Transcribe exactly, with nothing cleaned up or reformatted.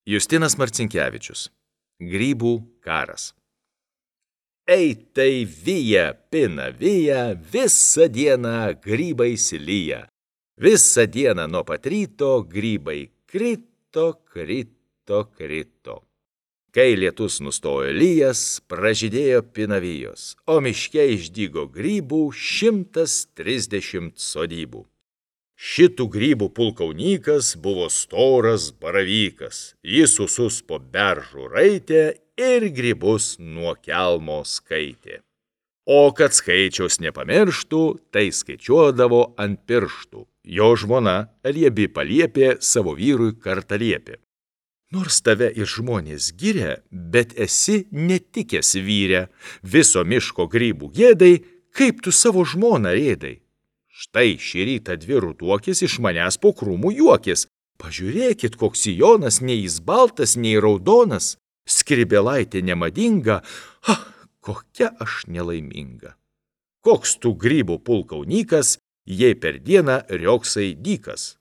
Justinas Marcinkevičius. Grybų karas. Ei tai vyja, pina vyja, visą dieną grybai lyja. Visą dieną nuo pat ryto grybai krito, krito, krito. Kai lietus nustojo lyjas, pražydėjo pinavijos, o miške išdygo grybų šimtas trisdešimt sodybų. Šitų grybų pulkaunykas buvo storas baravykas. Jis susus po beržų raitė ir grybus nuo kelmo skaitė. O kad skaičiaus nepamirštų, tai skaičiuodavo ant pirštų. Jo žmona Liebi paliepė savo vyrui kartą liepė: nors tave ir žmonės giria, bet esi netikęs vyre. Viso miško grybų gėdai, kaip tu savo žmoną rėdai. Štai šį rytą dvi rutuokės iš manęs po krūmų juokės. Pažiūrėkit, koks sijonas, nei jis baltas, nei raudonas. Skribėlaitė nemadinga, ah, kokia aš nelaiminga. Koks tu grybų pulkaunykas, jei per dieną rioksai dykas.